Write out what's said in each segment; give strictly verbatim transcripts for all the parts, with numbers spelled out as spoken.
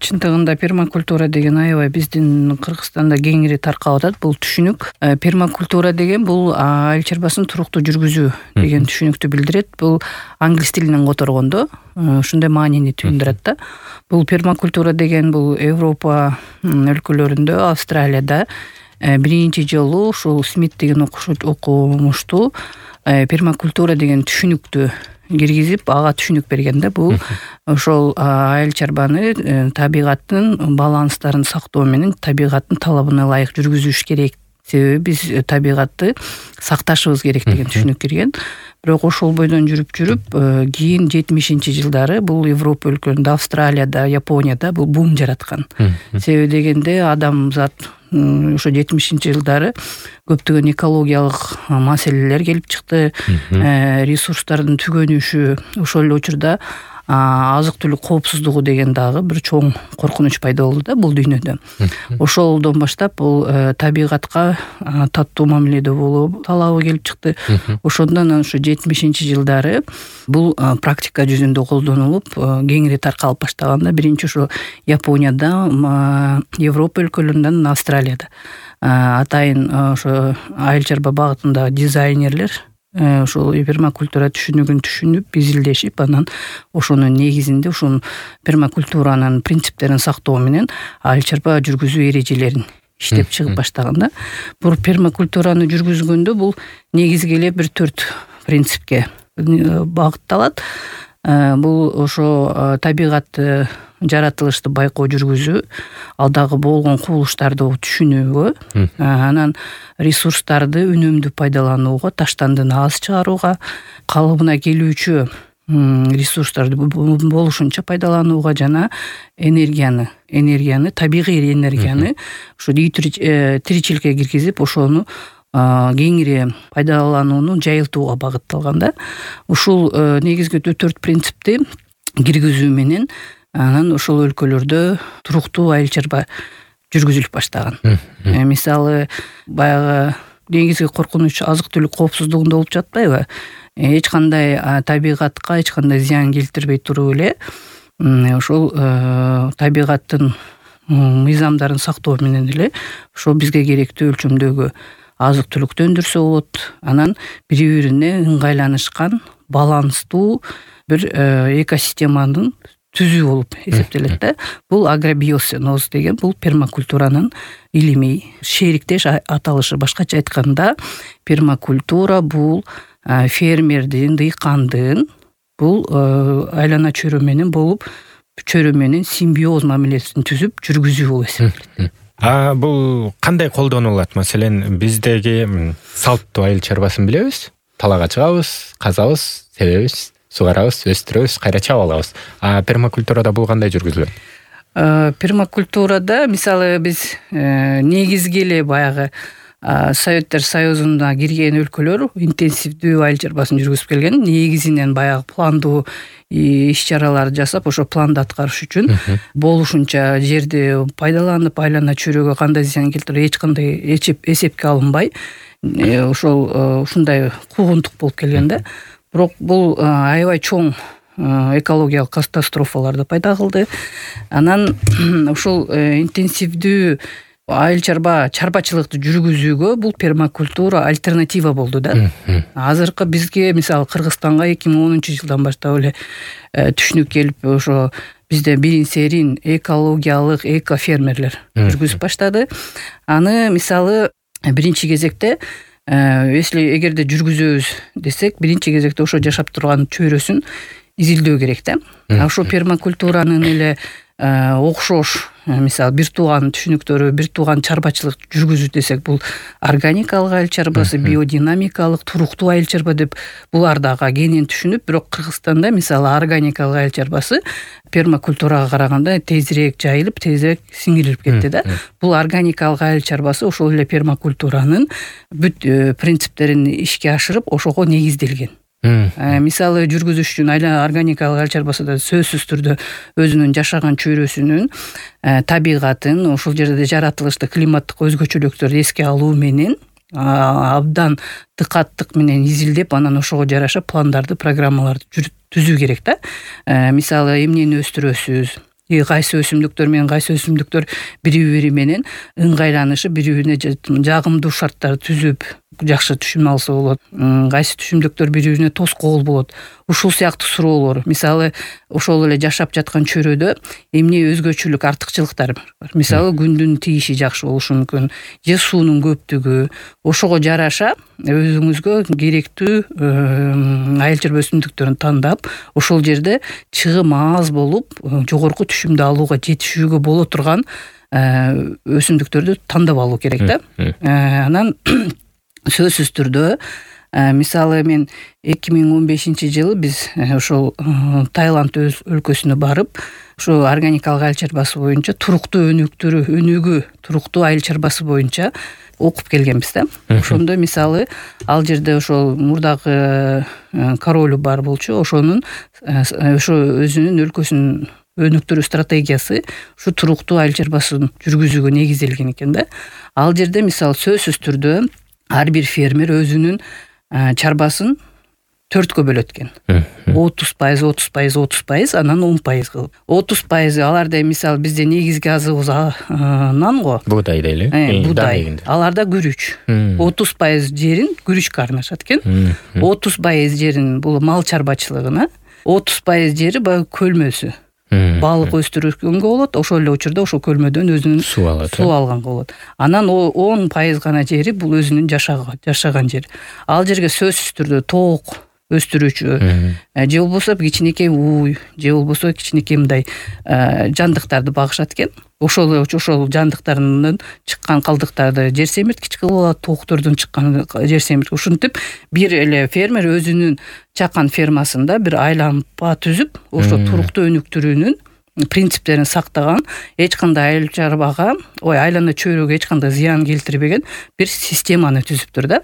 чындыгында пермакультура деген аябай биздин Кыргызстанда кеңири таркап атат. Бул түшүнүк пермакультура деген бул айыл чарбасын туруктуу жүргүзүү деген түшүнүктү билдирет. Бул англис тилинен которгондо ушундай маанини түшүндүрөт да. Бул пермакультура деген бул Европа өлкөлөрүндө, Австралияда биринчи жолу ушул Смит деген окумуштуу пермакультура деген түшүнүктү киргизип, ага түшүнүк берген да. Бул ошол айыл чарбаны табигаттын баланстарын сактоо менен табигаттын талабына ылайык жүргүзүш керек. Себеби биз табигатты сакташыбыз керек деген түшүнүк кирген. Бирок ошол бойдон жүрүп жүрүп кийин жетимишинчи жылдары бул Европа өлкөлөрүндө, Австралияда, Японияда бул бум жараткан. Себеби дегенде адамзат ошо жетимишинчи жылдары көптөгөн экологиялык маселелер келип чыкты. Ресурстардын түгөнүшү, ошол эле учурда азык түлүк коопсуздугу деген дагы бир чоң коркунуч пайда болду да бул дүйнөдө. Ошолдон баштап бул табигатка таттуу мамиледе болуу талабы келип чыкты. Ошондон ошо жетимишинчи жылдары бул практика жүзүндө колдонулуп, кеңири таркалып баштаганда биринчи ошо Японияда, Европа өлкөлөрүндө, Австралияда. Атайын ошо айыл чарба багытындагы дизайнерлер ошол пермакультура түшүнүгүн түшүнүп, изилдешип, анан ошонун негизинде ошол пермакультуранын принциптерин сактоо менен айыл чарба жүргүзүү эрежелерин иштеп чыгып баштаганда, бул пермакультураны жүргүзгөндө бул негизги эле бир төрт принципке багытталат. Бул ошо табигатты, жаратылышты байкоо жүргүзүү, алдагы болгон кубулуштарды түшүнүүгө, анан ресурстарды үнөмдүү пайдаланууга, таштандыны аз чыгарууга, калыбына келүүчү ресурстарды болушунча пайдаланууга жана энергияны, энергияны, табигый энергияны ошо тиричиликке киргизип, ошону кеңири пайдаланууну жайылтууга багытталган да. Ушул негизги төрт принципти киргизүү менен анан ошол өлкөлөрдө туруктуу айыл чарба жүргүзүлүп баштаган. Мисалы, баягы негизги коркунуч азык түлүк коопсуздугунда болуп жатпайбы? Эч кандай табигатка эч кандай зыян келтирбей туруп эле ошол табигаттын мыйзамдарын сактоо менен эле ошо бизге керектүү өлчөмдөгү азык түлүктү өндүрсө болот. Анан бири-бирине ыңгайланышкан, баланстуу бир экосистеманын түзүү болуп эсептелет да. Бул агробиосиноз деген бул пермакультуранын илимий шериктеш аталышы. Башкача айтканда, пермакультура бул фермердин, дыйкандын бул айлана чөйрө менен болуп, чөйрө менен симбиоз мамилесин түзүп жүргүзүү болуп эсептелет. А бул кандай колдонулат? Маселен, биздеги салттуу айыл чарбасын билебиз. Талаага чыгабыз, казабыз, себебиз, сугарабыз, өстүрөбүз, кайра чаап алабыз. А пермакультурада бул кандай жүргүзүлөт? Пермакультурада мисалы биз негизги эле баягы Советтер Союзуна кирген өлкөлөр интенсивдүү айыл чарбасын жүргүзүп келген. Негизинен баягы пландуу иш-чараларды жасап, ошо планды аткарыш үчүн болушунча жерди пайдаланып, айлана чөйрөгө кандай зыян келтирет, эч кандай эсепке алынбай, ошол ушундай куугунтук болуп келген да. Бирок бул аябай чоң экологиялык катастрофаларды пайда кылды. Анан ушул интенсивдүү айыл чарба чарбачылыкты жүргүзүүгө бул пермакультура альтернатива болду да. Азыркы бизге мисалы Кыргызстанга эки миң онунчу жылдан баштап эле түшүнүк келип, ошо бизде бирин серин экологиялык экофермерлер жүргүзүп баштады. Аны мисалы биринчи кезекте если эгерде жүргүзөбүз десек, биринчи кезекте ошо жашап турган чөйрөсүн изилдөө керек да. Ошо пермакультуранын эле окшош, мисалы бир тууган түшүнүктөрү, бир тууган чарбачылык жүргүзүү десек, бул органикалык айыл чарбасы, биодинамикалык, туруктуу айыл чарба деп булар дагы кенен түшүнүп, бирок Кыргызстанда мисалы органикалык айыл чарбасы пермакультурага караганда тезирээк жайылып, тезирээк сиңирилип кетти да. Бул органикалык айыл чарбасы ошол эле пермакультуранын бүт принциптерин ишке ашырып, ошого негизделген. Мисалы жүргүзүш үчүн органикалык айыл чарбасында сөзсүз түрдө өзүнүн жашаган чөйрөсүнүн табигатын, ошол жерде жаратылышты, климаттык өзгөчөлүктөрдү эске алуу менен абдан дыкаттык менен изилдеп, анан ошого жараша пландарды, программаларды түзүү керек да. Мисалы эмнени өстүрөсүз, кайсы өсүмдүктөр менен кайсы өсүмдүктөр бири бири менен ыңгайланышы, бири бирине жагымдуу шарттарды түзүп жакшы түшүм алса болот, кайсы түшүмдүктөр бири бирине тоскоол болот, ушул сыяктуу суроолор. Мисалы ошол эле жашап жаткан чөйрөдө эмне өзгөчөлүк, артыкчылыктар бар. Мисалы күндүн тийиши жакшы болушу мүмкүн, же суунун көптүгү. Ошого жараша өзүңүзгө керектүү айыл чарба өсүмдүктөрүн тандап, ошол жерде чыгым аз болуп, жогорку түшүмдү алууга жетишүүгө боло турган өсүмдүктөрдү тандап алуу керек да. Анан сөзсүз түрдө мисалы мен эки миң он бешинчи жылы биз ошол Таиланд өлкөсүнө барып, ошо органикалык айыл чарбасы боюнча туруктуу өнүктүрүү, өнүгүү туруктуу айыл чарбасы боюнча окуп келгенбиз да. Ошондо мисалы ал жерде ошол мурдагы королу бар болчу, ошонун ошо өзүнүн өлкөсүнүн өнүктүрүү стратегиясы ушу туруктуу айыл чарбасын жүргүзүүгө негизделген экен да. Ал жерде мисалы сөзсүз түрдө ар бир фермер өзүнүн чарбасын төрткө бөлөт экен. отуз пайыз, отуз пайыз, отуз пайыз, анан он пайыз кылып. отуз пайыз аларда мисалы бизде негизги азыгыбыз нан го. Буудай дейли. Буудай. Аларда күрүч. отуз пайыз жерин күрүчкө арнашат экен. отуз пайыз жерин бул мал чарбачылыгына, отуз пайыз жери баягы көлмөсү. Балык өстүргөнгө болот, ошол эле учурда ошол көлмөдөн өзүнүн суу алат, суу алганга болот. Анан он пайыз гана жери бул өзүнүн жашаган жери. Ал жерге сөзсүз түрдө тоок өстүрүүчү, же болбосо кичинекей уй, же болбосо кичинекей мындай жандыктарды багышат экен. Ошол ошол жандыктарынын чыккан калдыктарды жер семирткич кылып алат, тооктордон чыккан жер семирткич. Ушинтип бир эле фермер өзүнүн чакан фермасында бир айланпа түзүп, ошо туруктуу өнүктүрүүнүн принциптерин сактаган, эч кандай айыл чарбага, ой айлана чөйрөгө эч кандай зыян келтирбеген бир системаны түзүптүр да.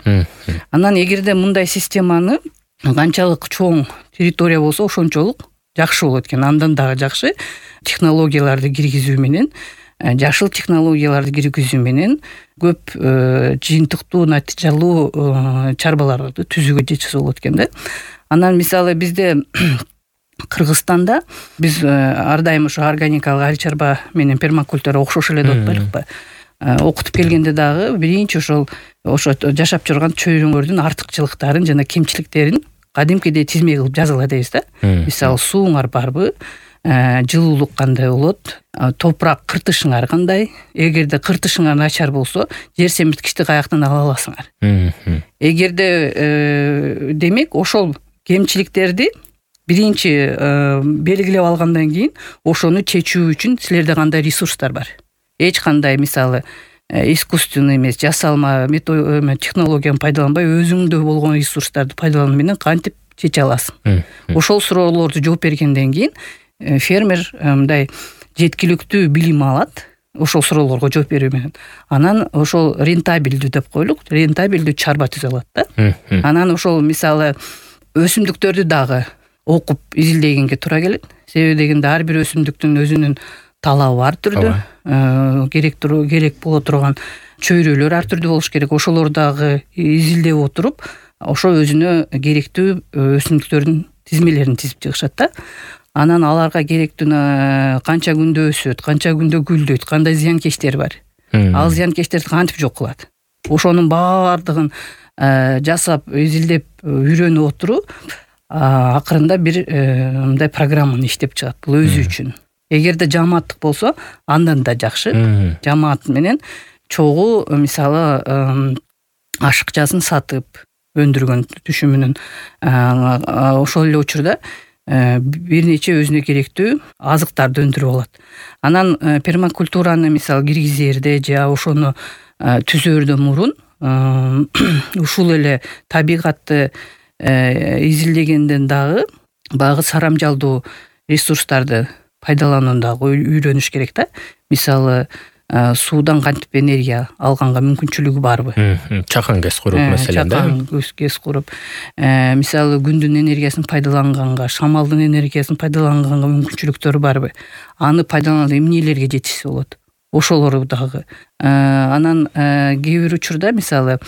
Анан эгерде мындай системаны канчалык чоң территория болсо ошончолук жакшы болот экен. Андан дагы жакшы технологияларды киргизүү менен, жашыл технологияларды киргизүү менен көп жыйынтыктуу, натыйжалуу чарбаларды түзүүгө жетсе болот экен да. Анан мисалы бизде Кыргызстанда биз ар дайым ошо органикалык айыл чарба менен пермакультура окшош эле деп атпайлыкпы? Окутуп келгенде дагы биринчи ошол ошо жашап жүргөн чөйрөңөрдүн артыкчылыктарын жана кемчиликтерин кадимкидей тизме кылып жазгыла дейбиз да. Мисалы сууңар барбы, жылуулук кандай болот, топурак кыртышыңар кандай, эгерде кыртышыңар начар болсо, жер семирткичти каяктан ала аласыңар. Эгерде демек ошол кемчиликтерди биринчи белгилеп алгандан кийин ошону чечүү үчүн силерде кандай ресурстар бар? Эч кандай мисалы искусственный эмес, жасалма технологияны пайдаланбай, өзүңдө болгон ресурстарды пайдалануу менен кантип чече аласың? Ошол суроолорду жооп бергенден кийин фермер мындай жеткиликтүү билим алат, ошол суроолорго жооп берүү менен. Анан ошол рентабелдүү деп коелук, рентабелдүү чарба түзө алат да. Анан ошол мисалы өсүмдүктөрдү дагы окуп изилдегенге туура келет. Себеби дегенде ар бир өсүмдүктүн өзүнүн талабы ар түрдүү, керек керек боло турган чөйрөлөр ар түрдүү болуш керек. Ошолорду дагы изилдеп отуруп, ошо өзүнө керектүү өсүмдүктөрдүн тизмелерин тизип чыгышат да. Анан аларга керектүү канча күндө өсөт, канча күндө гүлдөйт, кандай зыянкечтер бар. Ал зыянкечтерди кантип жок кылат? Ошонун баардыгын жасап, изилдеп, үйрөнүп отуруп, акырында бир мындай программаны иштеп чыгат бул өзү үчүн. Эгерде жамааттык болсо, андан да жакшы. Жамаат менен чогуу мисалы ашыкчасын сатып өндүргөн түшүмүнүн ошол эле учурда бир нече өзүнө керектүү азыктарды өндүрүп алат. Анан пермакультураны мисалы киргизерде же ошону түзөрдөн мурун ушул эле табигатты изилдегенден дагы багы сарамжалдуу ресурстарды пайдаланууну дагы үйрөнүш керек да. Мисалы суудан кантип энергия алганга мүмкүнчүлүгү барбы? Чакан кес куруп маселен да. Чакан кес куруп, мисалы күндүн энергиясын пайдаланганга, шамалдын энергиясын пайдаланганга мүмкүнчүлүктөрү барбы? Аны пайдаланып эмнелерге жетишсе болот? Ошолору дагы. Анан кээ бир учурда мисалы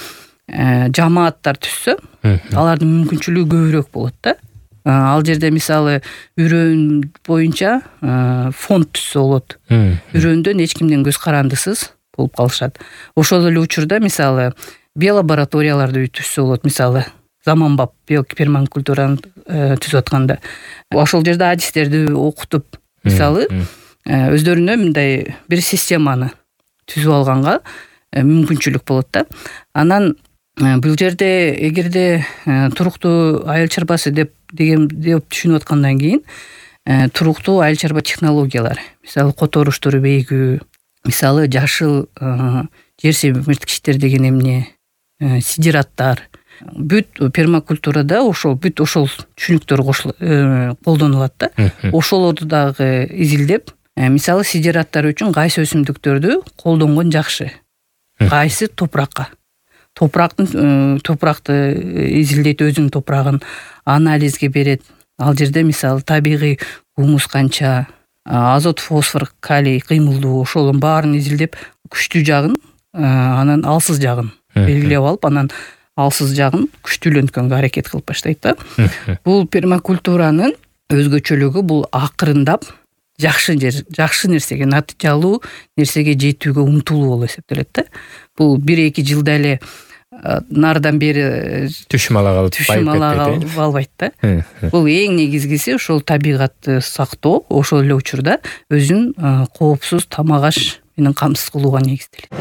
жамааттар түзсө, алардын мүмкүнчүлүгү көбүрөөк болот да. ал жерде мисалы үрөөн боюнча фонд түзсө болот. Үрөөндөн эч кимден көз карандысыз болуп калышат. Ошол эле учурда мисалы биолабораторияларды түзсө болот. Мисалы заманбап биопермакультураны түзүп атканда ошол жерде адистерди окутуп мисалы өздөрүнө мындай бир системаны түзүп алганга мүмкүнчүлүк болот да. Анан бул жерде эгерде туруктуу айыл чарбасы деп деген деп түшүнүп аткандан кийин туруктуу айыл чарба технологиялары, мисалы которуштур бейгүү, мисалы жашыл жер семирткичтер деген эмне, сидираттар, бүт пермакультурада ошол бүт ошол түшүнүктөр колдонулат да. Ошолорду дагы изилдеп, мисалы сидираттар үчүн кайсы өсүмдүктөрдү колдонгон жакшы, кайсы топуракка, топурактын топуракты изилдейт, өзүнүн топурагын анализге берет. Ал жерде мисалы табигый гумус канча, азот, фосфор, калий кыймылдуу, ошолордун баарын изилдеп, күчтүү жагын, анан алсыз жагын белгилеп алып, анан алсыз жагын күчтүүлөнткөнгө аракет кылып баштайт да. Бул пермакультуранын өзгөчөлүгү бул акырындап жакшы жер, жакшы нерсеге, натыйжалуу нерсеге жетүүгө умтулуу болуп эсептелет да. Бул бир-эки жылда эле нардан бери түшүм ала калып түшүм ала албайт да. Бул эң негизгиси ошол табигатты сактоо, ошол эле учурда өзүн коопсуз тамак аш менен камсыз кылууга негизделет.